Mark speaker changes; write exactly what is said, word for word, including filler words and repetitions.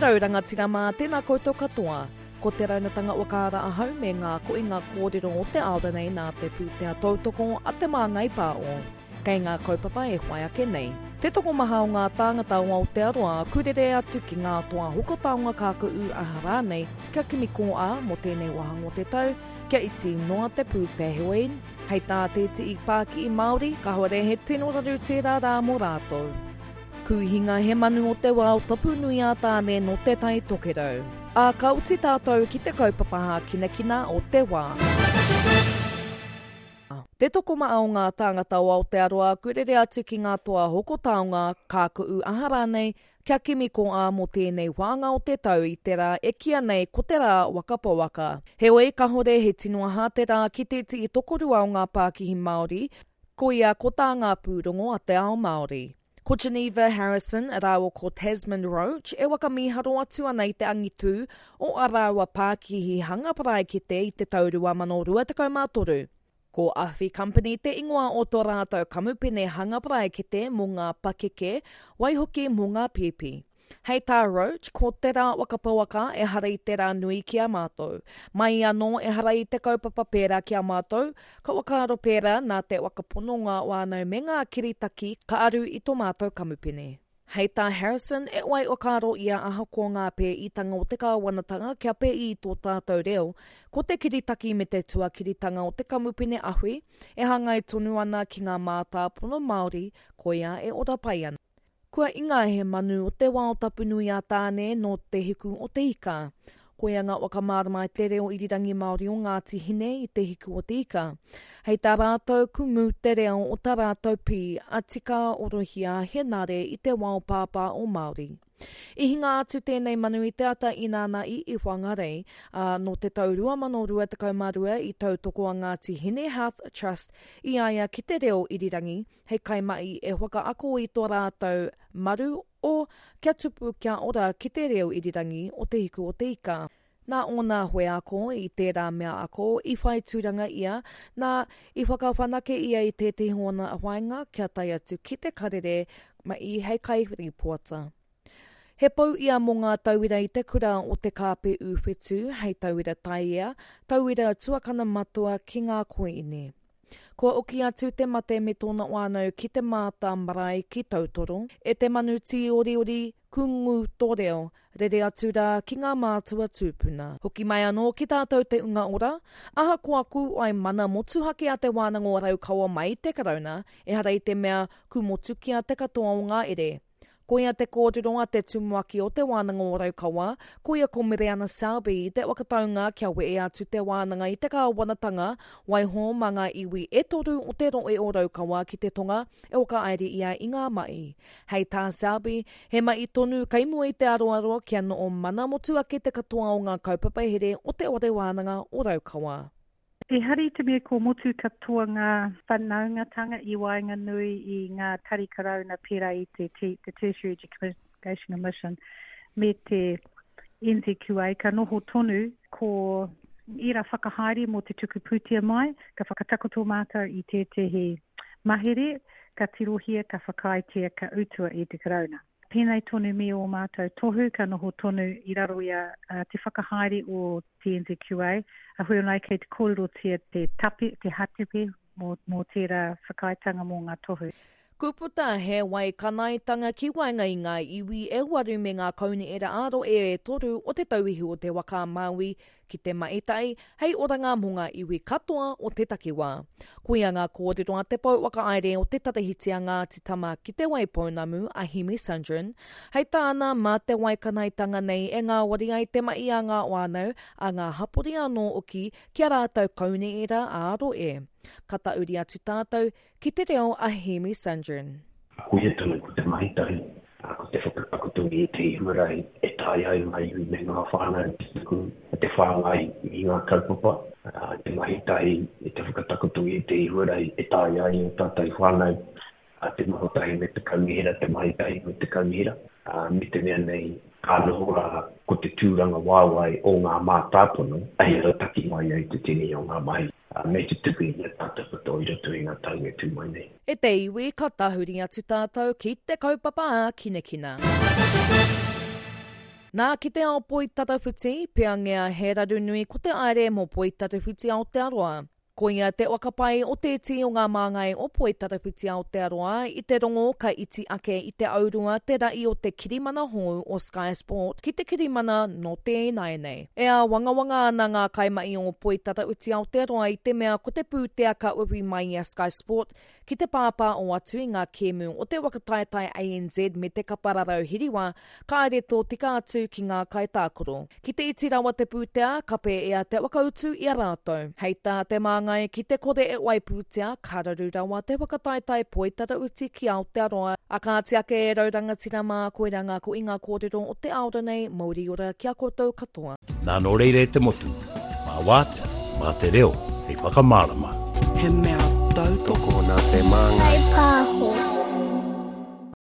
Speaker 1: rau rangatira mā, tēnā koutou katoa. Ko te raunatanga whakaara ahau me ngā koinga kōrero o te ao nei nā te pūtea tautoko a Te Māngai Pāo. Kei ngā kaupapa e whai ake nei. Te tokomaha o ngā tāngata o Aotearoa kurere atu ki ngā toa hoko taonga kāku'u aha rānei kia kimi kō-ā mō tēnei wāhanga o te tau, kia iti noa te pūtea heoi, hei tā tētehi pākihi Māori, kāore he tino raru tērā rā mō rātou. Kūhinga he manu o te wao tapu nui a Tāne nō Te Tai Tokerau. Ā, ka oti tātou ki te kaupapa hākinakina o te wā. Te tokomaha o ngā tāngata o Aotearoa kurere atu ki ngā toa hoko taonga, kāku'u aha rānei, kia kimi kō-ā mō tēnei wānga o te tau i te rā e kīia nei ko te rā waka pouaka. Heoi, kahore he tino aha te rā ki tētehi tokorua o ngā pākihi Māori, koia ko tā ngā pūrongo a te ao Māori. Ko Geneva Harrison rāua ko Tasman Roach e whakamīharo atu ana i te angitū o ā rāua pākihi hanga paraikete i te tau rua mano rua tekau mā toru. Ko Awhi Company te ingoa o tō rātou kamupene hanga paraikete mō ngā pakeke, waihoki mō ngā pēpi. Hei tā Roach, ko te rā waka pouaka ehara i te rā nui ki a mātou. Mai anō ehara i te kaupapa pērā ki a mātou, ka whakaaro pērā nā te whakapono ngā whānau me ngā kiritaki ka aru i tō mātou kamupene. Hei tā Harrison, e wai whakaaro ia ahakoa ngā pēitanga o te kāwanatanga kia pēi i tō tātou reo, ko te kiritaki me te tuakiritanga o te kamupene Awhi e hāngai tonu ana ki ngā mātāpono Māori, koia e ora pai ana. Kua inga he manu o te wao tapu nui a Tāne nō te hiku o te ika. Koia ngā whakamārama i te reo irirangi Māori o Ngāti Hine i te hiku o te ika. Hei tā rātou kumu te reo o tā rātou pī a Tika Orohia Henare i te wao pāpā o Māori. I hinga atu tēnei manu i te ata ināna i i Whangarei, ā, nō te tau rua mano rua tekau mā rua i tautoko a Ngāti Hine Health Trust i a ia ki te reo irirangi hei kaimahi e whakaako i tō rātou maru o Kia Tupu Kia Ora ki te reo irirangi o Te Hiku o te Ika. Nā ōna wheako i tērā mea ako i whai tūranga ia, nā, i whakawhanake ia i tētehi ōna whāinga kia tae atu ki te karere mahi hei kairīpoata. He pou ia mō ngā tauira i te kura o Te Kāpe Ūwhetū hei tauira taiea, tauira tuakana matua ki ngā koiine. Kua oki atu te mate me tōna whānau ki te māta marae ki Tautoro. E te manu tīoriori, kungu tō reo, rere atu rā ki ngā mātua tūpuna. Hoki mai anō ki tātou te unga ora, ahakoa kūai mana motuhake a Te Wānanga o Raukawa mai te Karauna, ehara i te mea kūmotukia te katoa o ngā ere. Koia te kōrero a te tumuaki o Te Wānanga o Raukawa, koia ko Mereana Selby i te whakataunga kia wehe atu te wānanga i te kāwanatanga, waiho mā ngā iwi e toru o te rohe o Raukawa ki te tonga e whakahaere ia i ngā mahi. Hei tā Selby, he mahi tonu kei mua i te aroaro kia noho mana motuhake te katoa o ngā kaupapa here o Te Whare Wānanga o Raukawa.
Speaker 2: Ehara i te mea ko motu katoa ngā whanaungatanga i waenganui i ngā tari karauna pērā i te, te Tertiary Education Commission me te N Z Q A, ka noho tonu ko ērā whakahaere mō te tuku pūtea mai, ka whakatakoto mātou i tētehi mahere, ka tirohia, ka whakaaetia, ka utua i te karauna. Pēnei tonu me ō mātou tohu, ka noho tonu i raro i a, a te whakahaere o te N Z Q A, a hui anai kei te kōrerotia te tape, te hatepe mō, mō tērā whakaaetanga mō ngā tohu.
Speaker 1: Kuputa he wai kanaitanga ki waenga i ngā iwi e waru me ngā kaunihera ā-rohe e toru o te tauihu o te waka a Māui ki te mahitai hei oranga mō ngā iwi katoa o te takiwā. Koia ngā kōrero a te pou whakahaere o te Tarahiti a Ngāti Tama ki te Waipounamu a Hemi Sundren, hei tāna mā te waikanaitanga nei e ngāwari ai te mahi a ngā whānau, a ngā hapori anō hoki ki a rātou kaunihera ā-rohe. Ka tauri atu tātou ki te reo a Hemi Sundren.
Speaker 3: Koia tonu ko te mahi tahi, ko te whakatakoto i ētehi huarahi e taea ai ngā iwi me ngā whānau te tuku, te whāngai i ngā kaupapa, te mahi tahi, te whakatakoto i ētehi huarahi e taea ai o tātou whānau, te noho tahi me te kaunihera, te mahi tahi me te kaunihera, me te mea nei ka noho rā ko te tūranga waewae o ngā mātāpono hei rautaki mai ai te tini o ngā mahi, me te tuku i ngā tātou katoa i roto i ngā tau e tū mai nei.
Speaker 1: E te iwi, ka tahuri atu tātou ki te kaupapa ā-kinakina. Nā ki te ao poitarawhiti, peangia he raru nui ko te aere mō Poitarawhiti Aotearoa. Koia te wakapai o te tī o ngā māngai o Poitarawhiti Aotearoa i te rongo ka iti ake i te aurua te ra'i o te kirimana hou o Sky Sport ki te kirimana nō te ināianei. E āwangawanga ana ngā kaimahi o Poitarawhiti Aotearoa i te mea ko te pūtea ka uwhi mai i a Sky Sport ki te pāpā o atu i ngā kēmu o te waka taetae A N Z me te kapa rarau hiriwa, kāre tōtika atu ki ngā kaitākaro. Ki te iti rawa te pūtea, ka pēea te whakautu i a rātou. Hei tā te māngai ki te kore e wai pūtea, ka raru rawa te waka taetae poitarawhiti ki Aotearoa. A kāti ake e rau rangatira mā, koirā ngā ko i ngā kōrero o te aora nei, mauri ora ki a koutou katoa.
Speaker 4: Nā nō reira e te motu, mā wātea, mā te reo, hei whakamārama.
Speaker 5: He mea tautoko
Speaker 6: nā te māngai.
Speaker 7: Hei pā